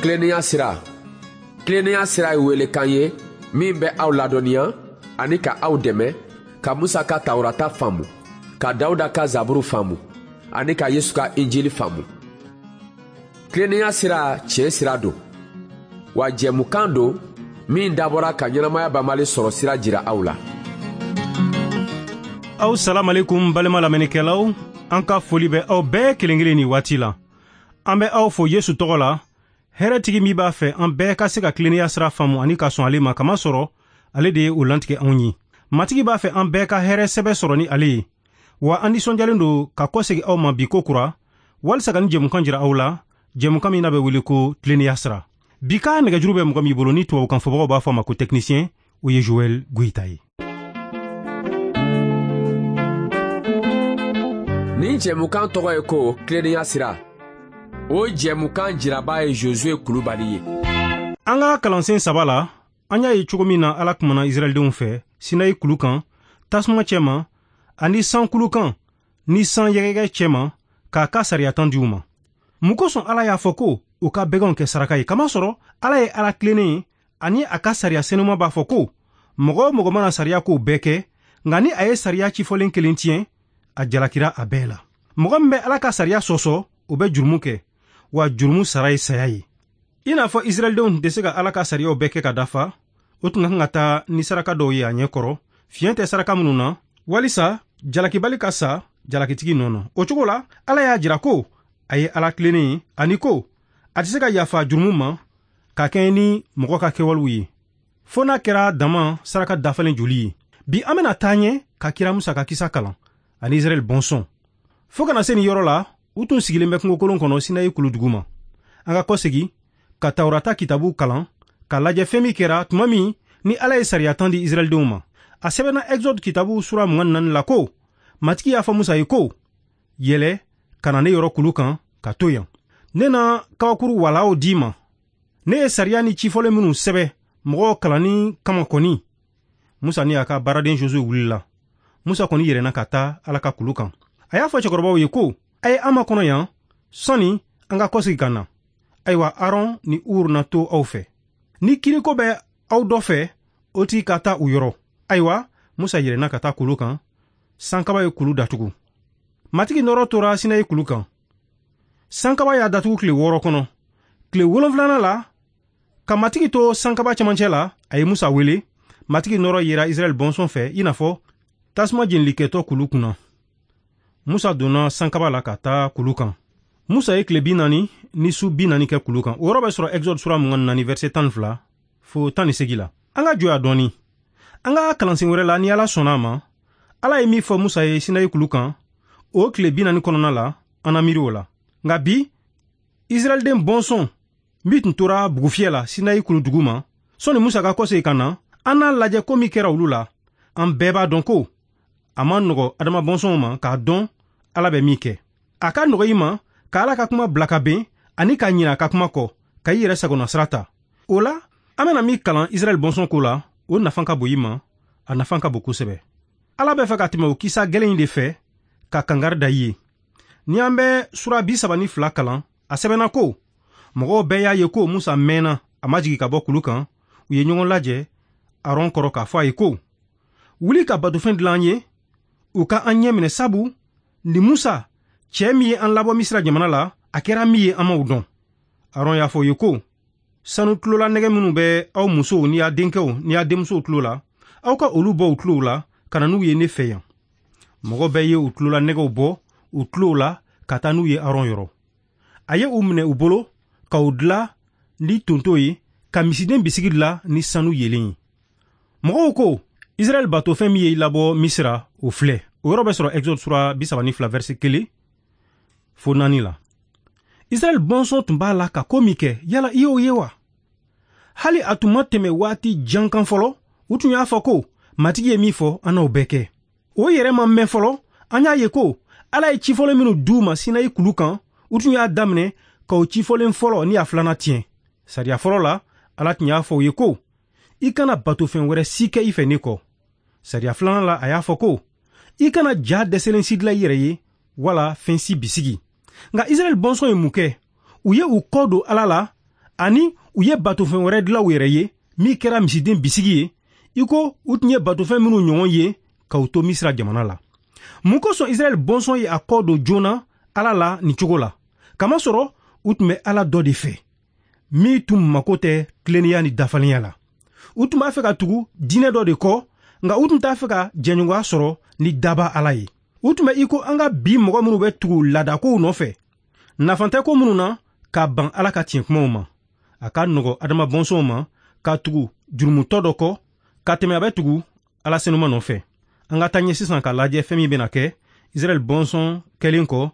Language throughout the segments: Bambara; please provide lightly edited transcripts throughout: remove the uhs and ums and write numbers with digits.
Tilennenya sira. Tilennenya sira ye welekan ye min bɛ aw ladɔnniya ani ka aw dɛmɛ ka Musa ka Tawurata faamu, ka Dawuda ka Zaburu faamu ani ka Yesu ka Injili faamu. Tilennenya sira tiɲɛ sira don, wa jɛmukan don min dabɔra ka ɲɛnamaya banbali sɔrɔ sira jira aw la. Aw salamalekum balima lamɛnnikɛlaw, an ka foli bɛ aw bɛɛ kelen kelen nin waati la. An bɛ aw fo Yesu tɔgɔ la, hɛrɛtigi min b'a fɛ an bɛɛ ka se ka tilennenya sira faamu ani ka sɔn ale ma, kamasɔrɔ ale de ye o lantigɛ anw ye. Matigi b'a fɛ an bɛɛ ka hɛrɛ sɛbɛ sɔrɔ ni ale ye. Wa an nisɔndiyalen don ka kɔsegin aw ma bi ko kura, walisa ka nin jɛmukan jira aw la, jɛmukan min n'a bɛ wele ko tilennenya sira. Bi ka nɛgɛjuru bɛ mɔgɔ min bolo ni tubabukan fɔbagaw b'a fɔ a ma ko technicien, o ye Joël Goïta ye. Nin jɛmukan tɔgɔ ye ko tilennenya sira. O jɛmukan jiraba ye Josué Kulubali ye. An ka kalansen saba la, an y'a ye cogo min na Ala kumana Israɛldenw fɛ Sinayi kulu kan, tasuma cɛma ani san kulu kan ni san yɛgɛyɛgɛ cɛma k'a ka sariya tan di u ma. Mun kosɔn Ala y'a fɔ ko u ka bɛganw kɛ saraka ye? Kamasɔrɔ Ala ye Ala tilennen ye ani a ka sariya senuma b'a fɔ ko mɔgɔ o mɔgɔ mana sariya kow bɛɛ kɛ, nka ni a ye sariya cifɔlen kelen tiɲɛ, a jalakira a bɛɛ la. Mɔgɔ min bɛ Ala ka sariya sɔsɔ, o bɛ jurumu kɛ, wa jurumu sara ye saya ye. I n'a fɔ Israɛldenw tun tɛ se ka Ala ka sariyaw bɛɛ kɛ ka dafa, o tun ka kan ka taa ni saraka dɔw ye a ɲɛ kɔrɔ, fiɲɛ tɛ saraka minnu na, walisa jalakibali ka sa jalakitigi nɔ na. O cogo la, Ala y'a jira ko a ye Ala tilennen ye ani ko a tɛ se ka yafa jurumu ma ka kɛɲɛ ni mɔgɔ ka kɛwalew ye, fo n'a kɛra dama saraka dafalen joli ye. Bi an bɛna taa ɲɛ ka kira Musa ka kisa kalan ani Israɛl bɔnsɔn. Fo kana se nin yɔrɔ la, u tun sigilen bɛ kungokolon kɔnɔ Sinayi kulu duguma. An ka kɔsegin ka Tawurata kitabu kalan k'a lajɛ fɛn min kɛra tuma min ni Ala ye sariya tan di Israɛldenw ma. A sɛbɛnna Exode kitabu sura 24 la ko Matigi y'a fɔ Musa ye ko yɛlɛ ka na ne yɔrɔ kulu kan ka to yan. Ne na kabakuru walaw d'i ma. Ne ye sariya ni cifɔlen minnu sɛbɛ mɔgɔw kalanni kama kɔni. Musa ni a ka baaraden Josué wulila. Musa kɔni yɛlɛnna ka taa Ala ka kulu kan. A y'a fɔ cɛkɔrɔbaw ye ko a ye an makɔnɔ yan sɔnni an ka kɔsegin ka na. Ayiwa, Aron ni Ur na to aw fɛ. Ni kiriko bɛ aw dɔ fɛ, o tigi ka taa u yɔrɔ. Ayiwa, Musa yɛlɛnna ka taa kulu kan. Sankaba ye kulu datugu. Matigi nɔrɔ tora Sinayi kulu kan. Sankaba y'a datugu tile 6 kɔnɔ. Tile 7nan la, ka Matigi to sankaba cɛmancɛ la, a ye Musa wele. Matigi nɔrɔ yera Israɛl bɔnsɔn fɛ i n'a fɔ tasuma jenilikɛtɔ kulu kunna. Musa donna sankaba la ka taa kulu kan. Musa ye tile 40 ni su 40 kɛ kulu kan. O yɔrɔ bɛ sɔrɔ Exode sura 24 verset 12 fo 18 la. An ka jɔya dɔɔni. An ka kalansen wɛrɛ la, ni Ala sɔnna a ma, Ala ye min fɔ Musa ye Sinayi kulu kan, o tile 40 kɔnɔna la, an na miiri o la. Nka bi, Israɛlden bɔnsɔn min tun tora bugufiyɛ la Sinayi kulu duguma, sɔnni Musa ka kɔsegin ka na, an n'a lajɛ ko min kɛra olu la. An bɛɛ b'a dɔn ko a man nɔgɔ Adama bɔnsɔnw ma k'a dɔn Ala bɛ min kɛ. A ka nɔgɔ i ma ka Ala ka kuma bila ka ben ani ka ɲinɛ a ka kuma kɔ, ka i yɛrɛ sagona sira ta. O la, an bɛna min kalan Israɛl bɔnsɔn ko la, o nafa ka bon i ma, a nafa ka bon kosɛbɛ. Ala bɛ fɛ ka tɛmɛ o kisa gɛlɛn in de fɛ ka kangari da i ye. Ni an bɛ sura 32 kalan, a sɛbɛnna ko mɔgɔw bɛɛ y'a ye ko Musa mɛnna, a ma jigin ka bɔ kulu kan. U ye ɲɔgɔn lajɛ Aron kɔrɔ k'a fɔ a ye ko wuli ka batofɛn dilan an ye, u ka an ɲɛ minɛ, sabu ni Musa, cɛ min ye an labɔ Misira jamana la, a kɛra min ye an m'o dɔn. Aron y'a fɔ u ye ko sanu tulola nɛgɛ minnu bɛ aw musow ni a denkɛw ni a denmusow tulo la, aw ka olu bɔ u tulow la ka na n'u ye ne fɛ yan. Mɔgɔ bɛɛ ye u tulola nɛgɛw bɔ u tulow la ka taa n'u ye Aron yɔrɔ. A ye u minɛ u bolo ka u dila ni tonto ye, ka misiden bisigi dila ni sanu yelen ye. Mɔgɔw ko Israɛl batofɛn min ye i labɔ Misira, o filɛ. O yɔrɔ bɛ sɔrɔ Exode sura 32 verset 1 fo 4 la. Israɛl bɔnsɔn tun b'a la ka ko min kɛ, yala i y'o ye wa? Hali a tun ma tɛmɛ waati jan kan fɔlɔ, u tun y'a fɔ ko Matigi ye min fɔ, an n'o bɛɛ kɛ. O yɛrɛ ma mɛn fɔlɔ, an y'a ye ko Ala ye cifɔlen minnu d'u ma Sinayi kulu kan, u tun y'a daminɛ ka o cifɔlen fɔlɔ ni a filanan tiɲɛ. Sariya fɔlɔ la, Ala tun y'a fɔ u ye ko i kana batofɛn wɛrɛ si kɛ i fɛ ne kɔ. Sariya filanan la, a y'a fɔ ko i kana ja dɛsɛlen si dilan i yɛrɛ ye wala fɛn si bisigi. Nka Israɛl bɔnsɔn ye mun kɛ? U ye u kɔ don Ala la Ani u ye batofɛn wɛrɛ dilan u yɛrɛ ye min kɛra misiden bisigi ye, i ko u tun ye batofɛn minnu ɲɔgɔn ye ka u to Misira jamana la. Mun kosɔn Israɛl bɔnsɔn ye a kɔ don joona Ala la nin cogo la? Kamasɔrɔ u tun bɛ Ala dɔ de fɛ min tun mako tɛ tilennenya ni dafalenya la. U tun b'a fɛ ka tugu diinɛ dɔ de kɔ, nka u tun t'a fɛ ka jɛɲɔgɔnya sɔrɔ ni daba Ala ye. U tun bɛ i ko an ka bi mɔgɔ minnu bɛ tugu laadakow nɔfɛ, nafa tɛ ko minnu na ka ban Ala ka tiɲɛ kumaw ma. A ka nɔgɔ adama bɔnsɔnw ma ka tugu jurumutɔ dɔ kɔ ka tɛmɛ a bɛ tugu Ala senuma nɔfɛ. An ka taa ɲɛ sisan k'a lajɛ fɛn min bɛna kɛ Israɛl bɔnsɔn kɛlen kɔ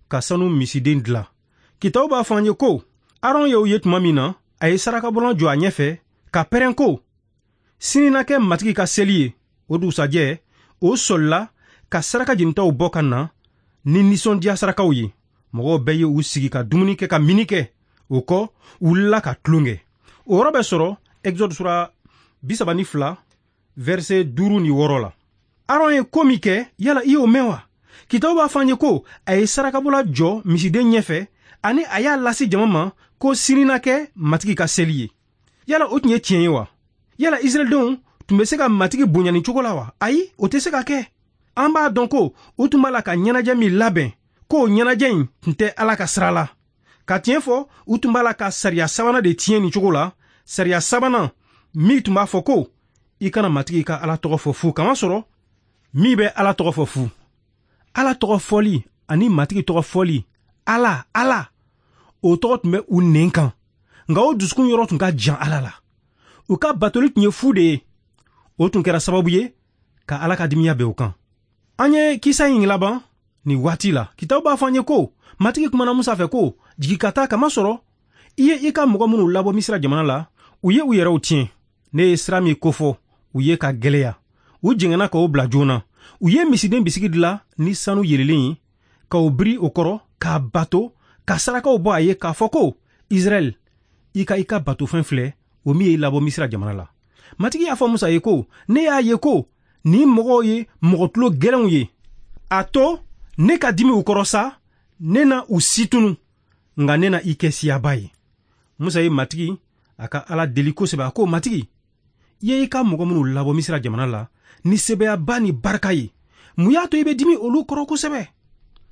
ka sanu misiden dilan. Kitabu b'a fɔ an ye ko Aron ye o ye tuma min na, a ye sarakabɔlan jɔ a ɲɛfɛ ka pɛrɛn ko sini na kɛ Matigi ka seli ye. O dugusajɛ o sɔlila ka saraka jenitaw bɔ ka na ni nisɔndiya sarakaw ye. Mɔgɔw bɛɛ ye u sigi ka dumuni kɛ ka mini kɛ. O kɔ u wulila ka tulon kɛ. O yɔrɔ bɛ sɔrɔ Exode sura 32 verset 5 ni 6 la. Aron ye ko min kɛ, yala i y'o mɛn wa? Kitabu b'a fɔ an ye ko a ye sarakabɔla jɔ misiden ɲɛfɛ ani a y'a lase jama ma ko sini na kɛ Matigi ka seli ye. Yala o tun ye tiɲɛ ye wa? Yala Israɛldenw tun bɛ se ka Matigi bonya nin cogo la wa? Ayi, o tɛ se ka kɛ. An b'a dɔn ko u tun b'a la ka ɲɛnajɛ min labɛn, k'o ɲɛnajɛ in tun tɛ Ala ka sira la. Ka tiɲɛ fɔ, u tun b'a la ka sariya sabanan de tiɲɛ nin cogo la, sariya sabanan min tun b'a fɔ ko i kana Matigi ka Ala tɔgɔ fɔ fu, kamasɔrɔ min bɛ Ala tɔgɔ fɔ fu. Ala tɔgɔ fɔli ani Matigi tɔgɔ fɔli, Ala, Ala, o tɔgɔ tun bɛ u nɛn kan, nka o dusukun yɔrɔ tun ka jan Ala la. U ka batoli tun ye fu de ye. O tun kɛra sababu ye ka Ala ka dimiya bɛn u kan. An ye kisa in laban nin waati la. Kitabu b'a fɔ an ye ko Matigi kumana Musa fɛ ko jigi ka taa, kamasɔrɔ i ye i ka mɔgɔ minnu labɔ Misira jamana la, u ye u yɛrɛw tiɲɛ. Ne ye sira min kofɔ u ye ka gɛlɛya, u jɛngɛnna k'o bila joona. U ye misiden bisigi dilan ni sanu yelelen ye k'o biri o kɔrɔ k'a bato, ka sarakaw bɔ a ye k'a fɔ ko Israɛl, i ka i ka batofɛn filɛ, o min ye i labɔ Misira jamana la. Matigi y'a fɔ Musa ye ko ne y'a ye ko nin mɔgɔw ye mɔgɔ tulo gɛlɛnw ye. A to ne ka dimi u kɔrɔ sa, ne na u situnu, nka ne na i kɛ siyaba ye. Musa ye Matigi a ka Ala deli kosɛbɛ. A ko Matigi, i ye i ka mɔgɔ minnu labɔ Misira jamana la ni sebeyaba ni barika ye, mun y'a to i bɛ dimi olu kɔrɔ kosɛbɛ?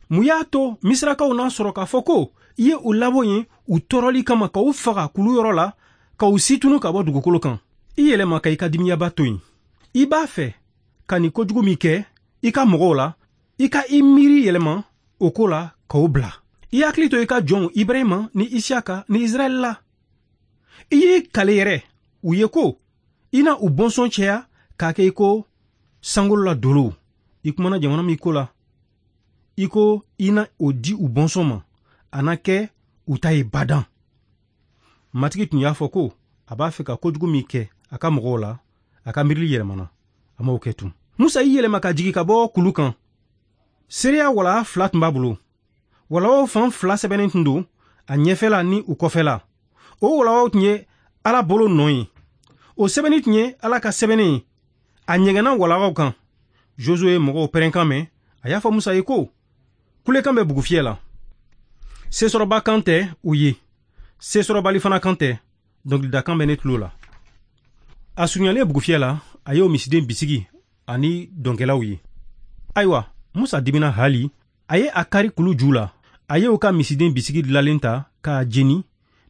Mun y'a to Misirakaw n'a sɔrɔ k'a fɔ ko i ye u labɔ yen u tɔɔrɔli kama, ka u faga kulu yɔrɔ la, ka u situnu ka bɔ dugukolo kan? I yɛlɛma ka i ka dimiyaba to yen. I b'a fɛ ka nin kojugu min kɛ i ka mɔgɔw la, i ka i miiri yɛlɛma o ko la k'o bila. I hakili to i ka jɔnw Ibrahima ni Isiyaka ni Israɛl la. I y'i kale yɛrɛ u ye ko i na u bɔnsɔn cɛya k'a kɛ i ko sankolo la dolow. I kumana jamana min ko la, i ko i na o di u bɔnsɔn ma, a na kɛ u ta ye badan. Matigi tun y'a fɔ ko a b'a fɛ ka kojugu min kɛ a ka mɔgɔw la, a ka miirili yɛlɛmana, a m'o kɛ tun. Musa y'i yɛlɛma ka jigin ka bɔ kulu kan. Seereya wala 2 tun b'a bolo. Walawaw fan 2 sɛbɛnnen tun don a ɲɛfɛla ni u kɔfɛla. O walawaw tun ye Ala bolo nɔ ye. O sɛbɛnni tun ye Ala ka sɛbɛnni ye. A ɲɛgɛnna walawaw kan. Josué ye mɔgɔw pɛrɛnkan mɛn. A y'a fɔ Musa ye ko kulekan bɛ bugufiyɛ la. Sesɔrɔba kan tɛ u ye, sesɔrɔbali fana kan tɛ, dɔnkilidakan bɛ ne tulo la. A surunyalen bugufiyɛ la, a y'o misiden bisigi ani dɔnkɛlaw ye. Ayiwa, Musa dimina hali, a ye a kari kulu ju la. A ye o ka misiden bisigi dilalen ta k'a jeni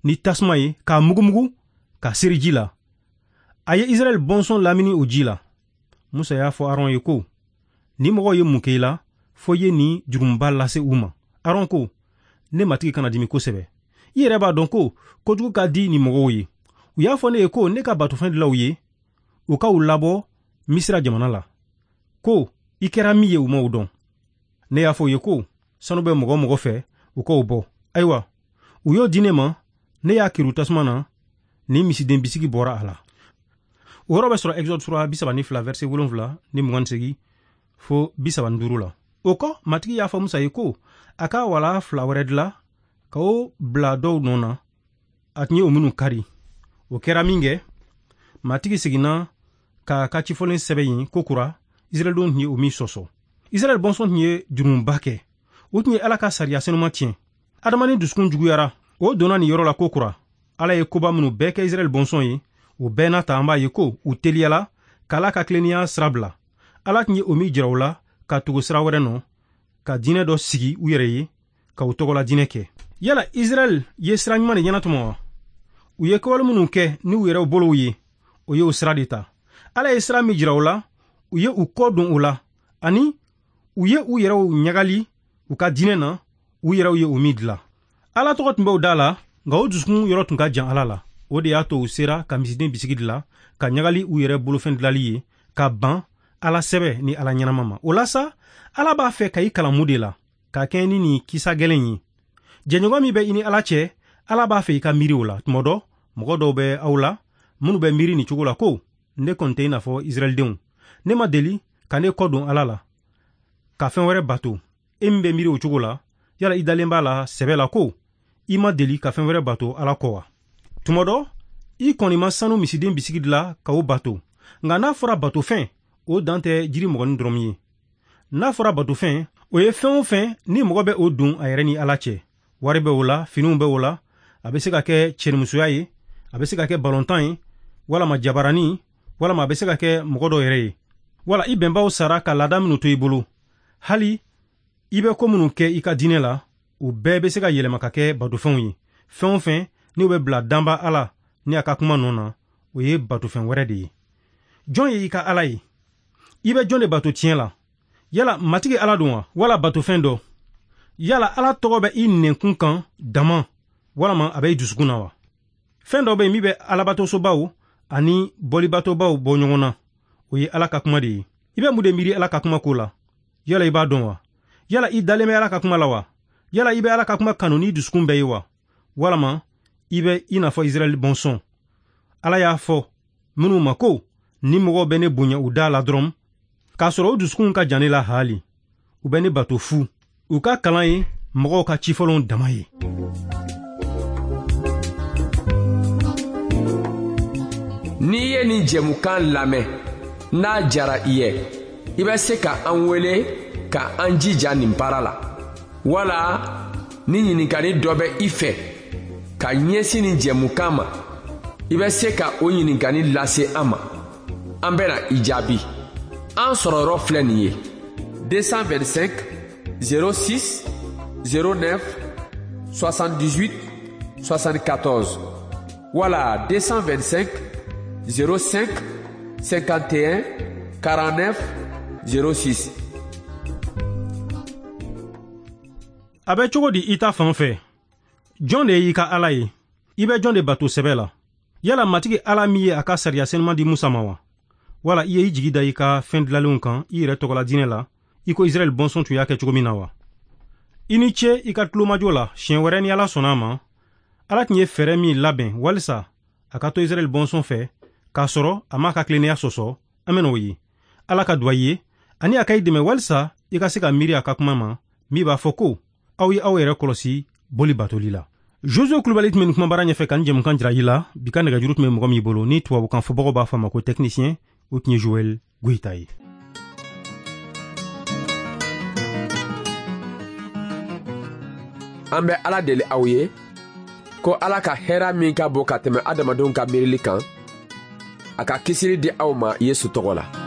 ni tasuma ye, k'a mugumugu k'a seri ji la. A ye Israɛl bɔnsɔn lamini o ji la. Musa y'a fɔ Aron ye ko ni mɔgɔw ye mun kɛ i la, fɔ i ye nin jurumuba lase u ma. Aron ko ne Matigi kana dimi kosɛbɛ. I yɛrɛ b'a dɔn ko kojugu ka di nin mɔgɔw ye. U y'a fɔ ne ye ko ne ka batofɛn dilan u ye, u ka u labɔ Misira jamana la. Ko i kɛra min ye u m'o dɔn. Ne y'a fɔ u ye ko sanu bɛ mɔgɔ mɔgɔ fɛ, u k'o bɔ. Ayiwa, u y'o di ne ma, ne y'a kiri tasuma na, ni misiden bisigi bɔra a la. O yɔrɔ bɛ sɔrɔ Exode sura 32 verset 7 ni 28 fo 35 la. O kɔ, Matigi y'a fɔ Musa ye ko a ka wala 2 wɛrɛ dilan ka o bila dɔw nɔ na, a tun ye o minnu kari. O kɛra min kɛ, Matigi seginna k'a ka cifɔlen sɛbɛn yen ko kura, Israɛldenw tun ye o min sɔsɔ. Israɛl bɔnsɔn tun ye jurumuba kɛ. U tun ye Ala ka sariya senuma tiɲɛ. Adamaden dusukun juguyara. O donna nin yɔrɔ la ko kura. Ala ye koba minnu bɛɛ kɛ Israɛl bɔnsɔn ye, o bɛɛ n'a ta an b'a ye ko u teliyala k'Ala ka tilennenya sira bila. Ala tun ye o min jira u la ka tugu sira wɛrɛ nɔ, ka diinɛ dɔ sigi u yɛrɛ ye, ka u tɔgɔla diinɛ kɛ. Yala Israɛl ye sira ɲuman de ɲɛnatɔmɔ wa? U ye kɛwale minnu kɛ ni u yɛrɛw bolow ye, o ye o sira de ta. Ala ye sira min jira u la, u ye u kɔ don o la, ani u ye u yɛrɛw ɲagali u ka diinɛ na, u yɛrɛw ye o min dilan. Ala tɔgɔ tun bɛ u da la, nka o dusukun yɔrɔ tun ka jan Ala la. O de y'a to u sera ka misiden bisigi dilan, ka ɲagali u yɛrɛ bolofɛn dilali ye, ka ban Ala sɛbɛ ni Ala ɲɛnama ma. O la sa, Ala b'a fɛ ka i kalan mun de la, ka kɛɲɛ ni nin kisa gɛlɛn ye. Jɛɲɔgɔn min bɛ i ni Ala cɛ, Ala b'a fɛ i ka miiri o la. Tuma dɔ, mɔgɔ dɔw bɛ aw la minnu bɛ miiri nin cogo la ko ne kɔni tɛ i n'a fɔ Israɛldenw. Ne ma deli ka ne kɔ don Ala la, ka fɛn wɛrɛ bato. E min bɛ miiri o cogo la, yala i dalen b'a la sɛbɛ la ko i ma deli ka fɛn wɛrɛ bato Ala kɔ wa? Tuma dɔ, i kɔni ma sanu misiden bisigi dilan ka o bato. Nka n'a fɔra batofɛn, o dan tɛ jiri mɔgɔnin dɔrɔn ye. N'a fɔra batofɛn, o ye fɛn o fɛn ni mɔgɔ bɛ o don a yɛrɛ ni Ala cɛ. Wari bɛ o la, finiw bɛ o la, a bɛ se ka kɛ cɛnimusoya ye, a bɛ se ka kɛ balontan ye, walama jabarani, walama a bɛ se ka kɛ mɔgɔ dɔ yɛrɛ ye. Wala i bɛnbaw sara ka laada minnu to i bolo, hali i bɛ ko minnu kɛ i ka diinɛ la, o bɛɛ bɛ se ka yɛlɛma ka kɛ batofɛnw ye. Fɛn o fɛn n'o bɛ bila danba Ala ni a ka kuma nɔ na, o ye batofɛn wɛrɛ de ye. Jɔn ye i ka Ala ye? I bɛ jɔn de bato tiɲɛ la? Yala Matigi Ala don wa, wala batofɛn dɔ? Yala Ala tɔgɔ bɛ i nɛnkun kan dama, walama a bɛ i dusukun na wa? Fɛn dɔ bɛ yen min bɛ alabatosobaw ani bɔlibatobaw bɔ ɲɔgɔn na, o ye Ala ka kuma de ye. I bɛ mun de miiri Ala ka kuma ko la? Yala i b'a dɔn wa? Yala i dalen bɛ Ala ka kuma la wa? Yala i bɛ Ala ka kuma kanu n'i dusukun bɛɛ ye wa? Walama i bɛ i n'a fɔ Israɛl bɔnsɔn. Ala y'a fɔ minnu ma ko ni mɔgɔw bɛ ne bonya u da la dɔrɔn, k'a sɔrɔ u dusukun ka jan ne la haali, u bɛ ne bato fu. U ka kalan ye mɔgɔw ka cifɔlenw dama ye. N'i ye nin jɛmukan lamɛn, n'a jara i ye, i bɛ se ka an wele ka an jija nin baara la. Wala ni ɲininkali dɔ bɛ i fɛ ka ɲɛsin nin jɛmukan ma, i bɛ se ka o ɲininkali lase an ma. An bɛna i jaabi. An sɔrɔyɔrɔ filɛ nin ye: 225 06 09 78 74 wala 225 05 51 49 06. A bɛ cogo di i ta fan fɛ? Jɔn de y'i ka Ala ye? I bɛ jɔn de bato sɛbɛ la? Yala Matigi Ala min ye a ka sariya senuman di Musa ma wa? Wala i ye i jigi da i ka fɛn dilalenw kan i yɛrɛ tɔgɔla diinɛ la, i ko Israɛl bɔnsɔn tun y'a kɛ cogo min na wa? I ni ce i ka tulomajɔ la. Siɲɛ wɛrɛ ni Ala sɔnna a ma, Ala tun ye fɛɛrɛ min labɛn walisa a ka to Israɛl bɔnsɔn fɛ k'a sɔrɔ a m'a ka tilennenya sɔsɔ, an bɛna o ye. Ala ka duwa i ye ani a ka i dɛmɛ walisa i ka se ka miiri a ka kuma ma min b'a fɔ ko aw ye aw yɛrɛ kɔlɔsi boli batoli la. Josué Kulubali tun bɛ nin kumabara ɲɛfɛ ka nin jɛmukan jira i la. Bi ka nɛgɛjuru tun bɛ mɔgɔ min bolo ni tubabukan fɔbagaw b'a fɔ a ma ko technicien, o tun ye Joël Goyita ye. An bɛ Ala deli aw ye ko Ala ka hɛrɛ min ka bon ka tɛmɛ adamadenw ka miirili kan, a ka kisili di aw ma Yesu tɔgɔ la.